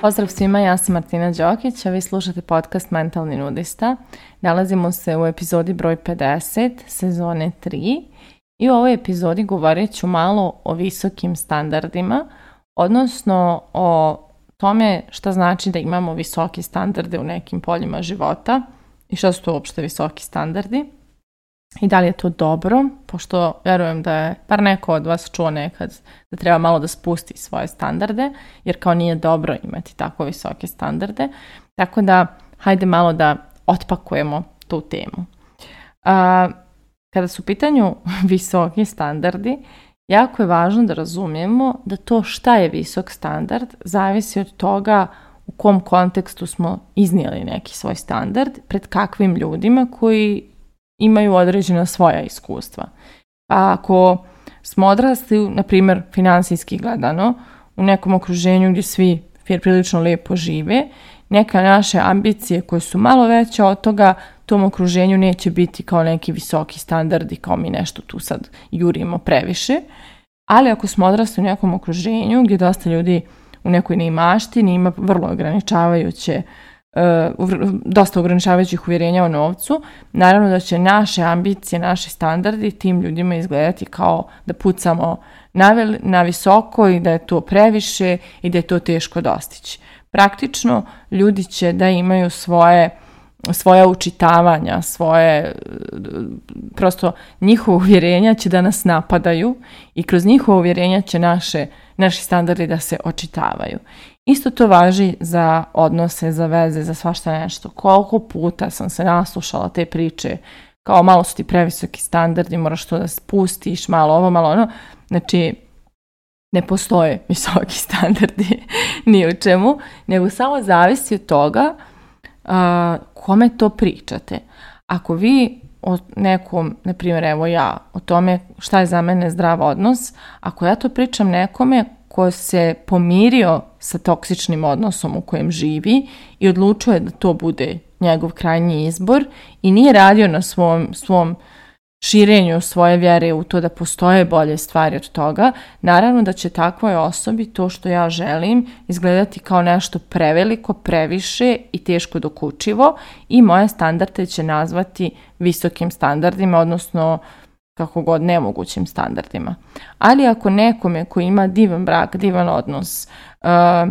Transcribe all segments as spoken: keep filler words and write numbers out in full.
Pozdrav svima, ja sam Martina Đokić, a vi slušate podcast Mentalni nudista. Nalazimo se u epizodi broj pedeset, sezone tri i u ovoj epizodi govorit ću malo o visokim standardima, odnosno o tome šta znači da imamo visoke standarde u nekim poljima života i šta su to uopšte visoki standardi i da li je to dobro, pošto vjerujem da je par neko od vas čuo nekad da treba malo da spusti svoje standarde, jer kao nije dobro imati tako visoke standarde, tako da hajde malo da otpakujemo tu temu. A, kada su u pitanju visoki standardi, jako je važno da razumijemo da to šta je visok standard zavisi od toga u kom kontekstu smo iznijeli neki svoj standard, pred kakvim ljudima koji imaju određena svoja iskustva. Pa ako smo odrasli, na primjer, finansijski gledano, u nekom okruženju gdje svi prilično lijepo žive, neka naše ambicije koje su malo veće od toga, tom okruženju neće biti kao neki visoki standardi, kao mi nešto tu sad jurimo previše. Ali ako smo odrasli u nekom okruženju gdje dosta ljudi u nekoj neimaštini ima vrlo ograničavajuće Uh, dosta ograničavajućih uvjerenja o novcu, naravno da će naše ambicije, naši standardi tim ljudima izgledati kao da pucamo na, vel, na visoko i da je to previše i da je to teško dostići. Praktično ljudi će da imaju svoje svoja učitavanja, svoje prosto njihova uvjerenja će da nas napadaju i kroz njihova uvjerenja će naše, naši standardi da se očitavaju. Isto to važi za odnose, za veze, za svašta nešto. Koliko puta sam se naslušala te priče, kao malo su ti previsoki standardi, moraš to da spustiš, malo ovo, malo ono. Znači, ne postoje visoki standardi ni u čemu, nego samo zavisi od toga uh, kome to pričate. Ako vi o nekom, na primjer, evo ja, o tome šta je za mene zdrav odnos, ako ja to pričam nekome ko se pomirio sa toksičnim odnosom u kojem živi i odlučuje da to bude njegov krajnji izbor i nije radio na svom, svom širenju svoje vjere u to da postoje bolje stvari od toga, naravno da će takvoj osobi to što ja želim izgledati kao nešto preveliko, previše i teško dokučivo i moje standarde će nazvati visokim standardima, odnosno kako god nemogućim standardima. Ali ako nekome koji ima divan brak, divan odnos, uh,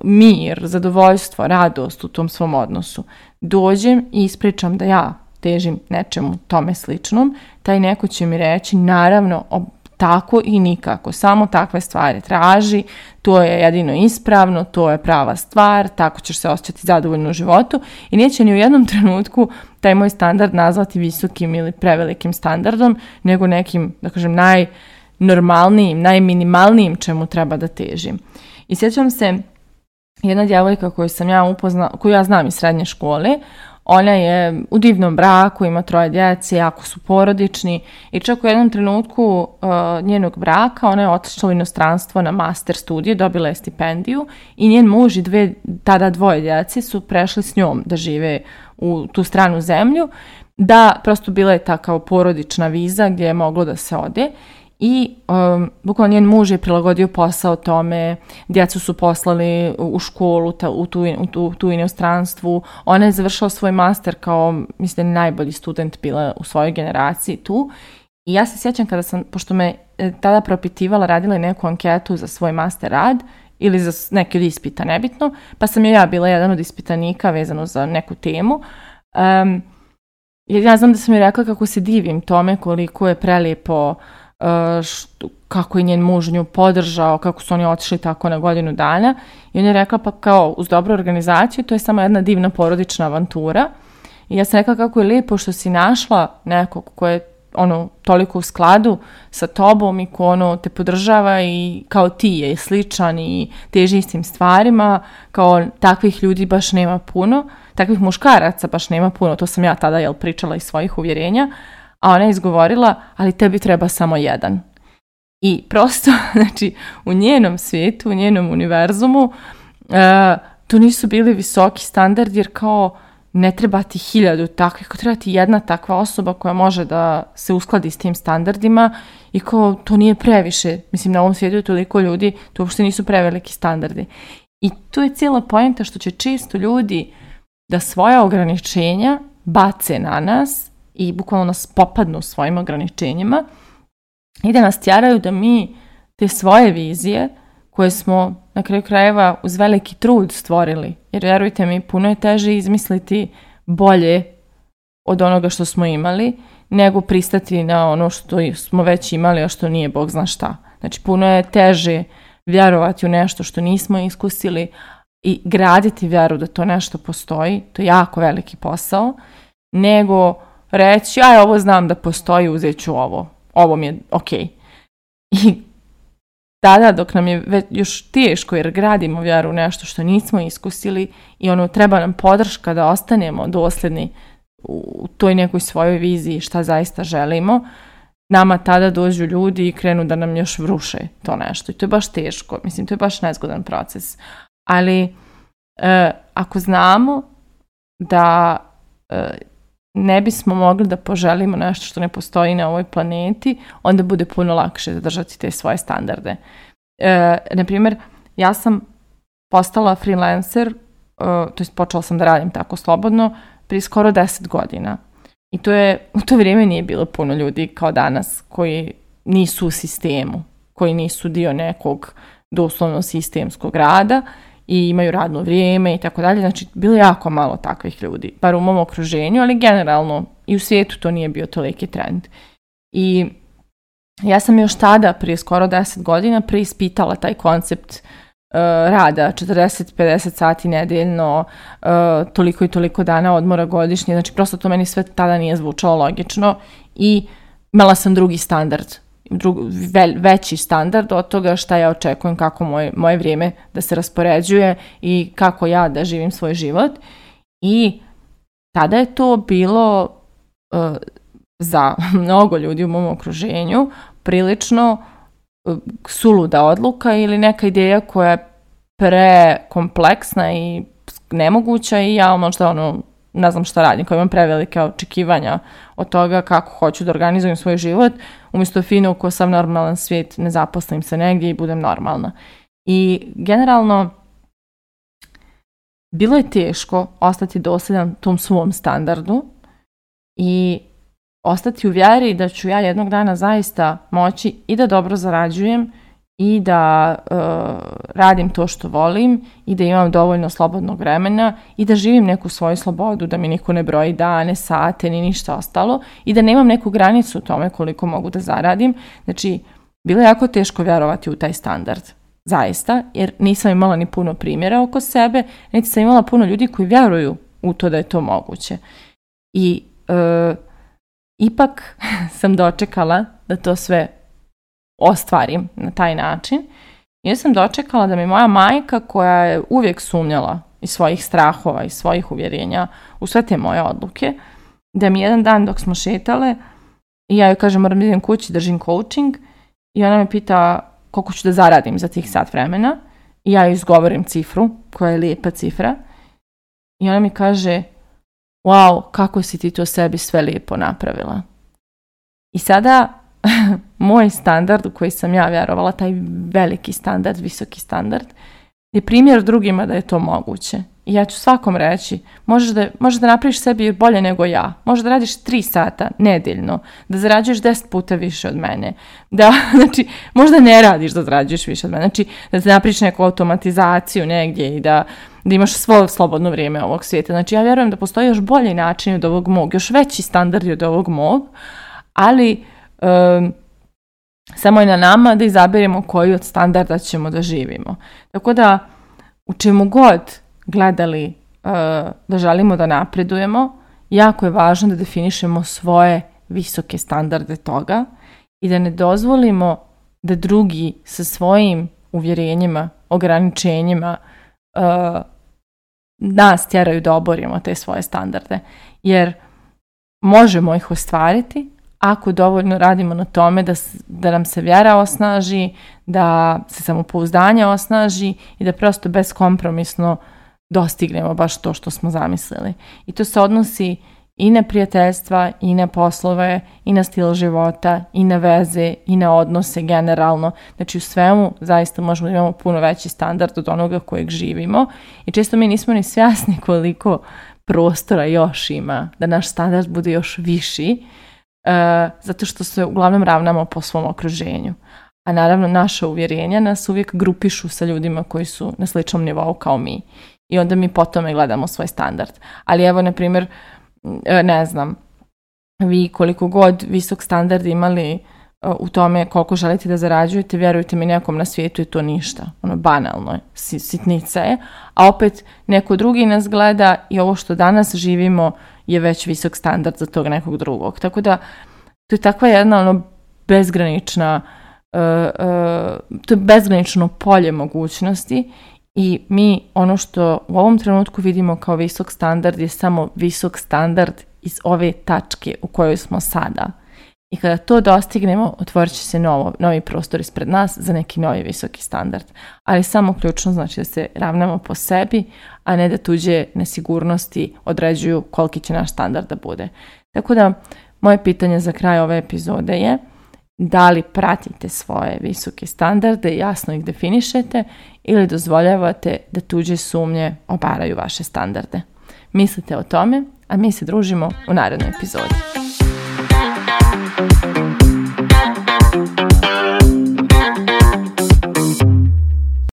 mir, zadovoljstvo, radost u tom svom odnosu, dođem i ispričam da ja težim nečemu tome sličnom, taj neko će mi reći naravno ob- tako i nikako, samo takve stvari traži, to je jedino ispravno, to je prava stvar, tako ćeš se osjećati zadovoljno u životu i neće ni u jednom trenutku taj moj standard nazvati visokim ili prevelikim standardom, nego nekim, da kažem, najnormalnijim, najminimalnijim čemu treba da težim. I sjećam se jedna djevojka koju sam ja upoznala, koju ja znam iz srednje škole, ona je u divnom braku, ima troje djece, jako su porodični i čak u jednom trenutku uh, njenog braka ona je otišla u inostranstvo na master studije, dobila je stipendiju i njen muž i dve, tada dvoje djece su prešli s njom da žive u tu stranu zemlju, da prosto bila je ta kao porodična viza gdje je moglo da se ode. I um, bukvalno njen muž je prilagodio posao tome, djecu su poslali u školu, ta, u, tu, u tu, tu inostranstvu. Ona je završila svoj master kao, mislim, najbolji student bila u svojoj generaciji tu. I ja se sjećam kada sam, pošto me tada propitivala, radila je neku anketu za svoj master rad ili za neki od ispita, nebitno, pa sam ja bila jedan od ispitanika vezano za neku temu. Um, ja znam da sam joj rekla kako se divim tome, koliko je prelijepo, Što, kako je njen muž nju podržao, kako su oni otišli tako na godinu dana i on je rekla pa kao uz dobru organizaciju to je samo jedna divna porodična avantura i ja sam rekla kako je lijepo što si našla nekog ko je ono toliko u skladu sa tobom i ko ono te podržava i kao ti je sličan i teži istim stvarima, kao takvih ljudi baš nema puno, takvih muškaraca baš nema puno, to sam ja tada jel pričala iz svojih uvjerenja. A ona je izgovorila, ali tebi treba samo jedan. I prosto, znači, u njenom svijetu, u njenom univerzumu, uh, to nisu bili visoki standardi, jer kao ne treba ti hiljadu takvih, kao treba ti jedna takva osoba koja može da se uskladi s tim standardima i kao to nije previše. Mislim, na ovom svijetu je toliko ljudi, to uopšte nisu preveliki standardi. I tu je cijela poenta što će često ljudi da svoja ograničenja bace na nas i bukvalno nas popadnu svojim ograničenjima i da nas tjeraju da mi te svoje vizije koje smo na kraju krajeva uz veliki trud stvorili. Jer vjerujte mi, puno je teže izmisliti bolje od onoga što smo imali, nego pristati na ono što smo već imali, a što nije Bog zna šta. Znači, puno je teže vjerovati u nešto što nismo iskusili i graditi vjeru da to nešto postoji. To je jako veliki posao. Nego reći, aj, ovo znam da postoji, uzet ću ovo. Ovo mi je okej. I tada, dok nam je već još teško jer gradimo vjeru u nešto što nismo iskusili i ono, treba nam podrška da ostanemo dosljedni u toj nekoj svojoj viziji šta zaista želimo, nama tada dođu ljudi i krenu da nam još vruše to nešto. I to je baš teško. Mislim, to je baš nezgodan proces. Ali e, ako znamo da e, ne bismo mogli da poželimo nešto što ne postoji na ovoj planeti, onda bude puno lakše zadržati te svoje standarde. E, na primjer, ja sam postala freelancer, e, to jest počela sam da radim tako slobodno, prije skoro deset godina. I to je, u to vrijeme nije bilo puno ljudi kao danas koji nisu u sistemu, koji nisu dio nekog doslovno sistemskog rada i imaju radno vrijeme i tako dalje. Znači, bilo je jako malo takvih ljudi, bar u mom okruženju, ali generalno i u svijetu to nije bio toliki trend. I ja sam još tada, prije skoro deset godina, preispitala taj koncept uh, rada, četrdeset do pedeset sati nedeljno, uh, toliko i toliko dana odmora godišnje. Znači, prosto to meni sve tada nije zvučalo logično i imala sam drugi standard. Drug, ve, veći standard od toga šta ja očekujem, kako moje, moje vrijeme da se raspoređuje i kako ja da živim svoj život. I tada je to bilo uh, za mnogo ljudi u mom okruženju prilično uh, suluda odluka ili neka ideja koja je prekompleksna i nemoguća i ja možda ono ne znam šta radim, koja imam prevelike očekivanja od toga kako hoću da organizujem svoj život, umjesto fino ko sam normalan svijet, ne zaposlim se negdje i budem normalna. I generalno bilo je teško ostati dosljedan tom svom standardu i ostati u vjeri da ću ja jednog dana zaista moći i da dobro zarađujem i da uh, radim to što volim i da imam dovoljno slobodnog vremena i da živim neku svoju slobodu, da mi niko ne broji dane, sate ni ništa ostalo i da nemam neku granicu u tome koliko mogu da zaradim. Znači, bilo je jako teško vjerovati u taj standard. Zaista, jer nisam imala ni puno primjera oko sebe, niti sam imala puno ljudi koji vjeruju u to da je to moguće. I uh, ipak sam dočekala da to sve ostvarim na taj način. Ja sam dočekala da mi moja majka, koja je uvijek sumnjala iz svojih strahova i svojih uvjerenja u sve te moje odluke, da mi jedan dan dok smo šetale i ja joj kažem moram da idem kući, držim coaching i ona me pita koliko ću da zaradim za tih sat vremena i ja joj izgovorim cifru koja je lijepa cifra i ona mi kaže wow, kako si ti to sebi sve lijepo napravila. I sada moj standard u koji sam ja vjerovala, taj veliki standard, visoki standard, je primjer drugima da je to moguće. I ja ću svakom reći, možeš da, možeš da napraviš sebi bolje nego ja, možeš da radiš tri sata nedeljno, da zarađuješ deset puta više od mene, da, znači, možda ne radiš da zarađuješ više od mene, znači, da se napraviš neku automatizaciju negdje i da, da imaš svo slobodno vrijeme ovog svijeta. Znači, ja vjerujem da postoji još bolji način od ovog mog, još veći standard od ovog mog, ali Um, samo je na nama da izaberemo koji od standarda ćemo da živimo. Tako da u čemu god gledali uh, da želimo da napredujemo, jako je važno da definišemo svoje visoke standarde toga i da ne dozvolimo da drugi sa svojim uvjerenjima, ograničenjima uh, nas tjeraju da oborimo te svoje standarde. Jer možemo ih ostvariti ako dovoljno radimo na tome da, da nam se vjera osnaži, da se samopouzdanje osnaži i da prosto beskompromisno dostignemo baš to što smo zamislili. I to se odnosi i na prijateljstva, i na poslove, i na stil života, i na veze, i na odnose generalno. Znači u svemu zaista možemo da imamo puno veći standard od onoga kojeg živimo i često mi nismo ni svjesni koliko prostora još ima da naš standard bude još viši, uh, zato što se uglavnom ravnamo po svom okruženju. A naravno naša uvjerenja nas uvijek grupišu sa ljudima koji su na sličnom nivou kao mi. I onda mi po tome gledamo svoj standard. Ali evo, na primjer, ne znam, vi koliko god visok standard imali u tome koliko želite da zarađujete, vjerujte mi, nekom na svijetu je to ništa. Ono, banalno je, sitnica je. A opet neko drugi nas gleda i ovo što danas živimo je već visok standard za tog nekog drugog. Tako da, to je takva jedna ono bezgranična, uh, uh, to je bezgranično polje mogućnosti. I mi ono što u ovom trenutku vidimo kao visok standard je samo visok standard iz ove tačke u kojoj smo sada. I kada to dostignemo, otvorit će se novo, novi prostor ispred nas za neki novi visoki standard. Ali samo ključno znači da se ravnamo po sebi, a ne da tuđe nesigurnosti određuju koliki će naš standard da bude. Tako da, moje pitanje za kraj ove epizode je: da li pratite svoje visoke standarde, jasno ih definišete, ili dozvoljavate da tuđe sumnje obaraju vaše standarde? Mislite o tome, a mi se družimo u narednoj epizodi.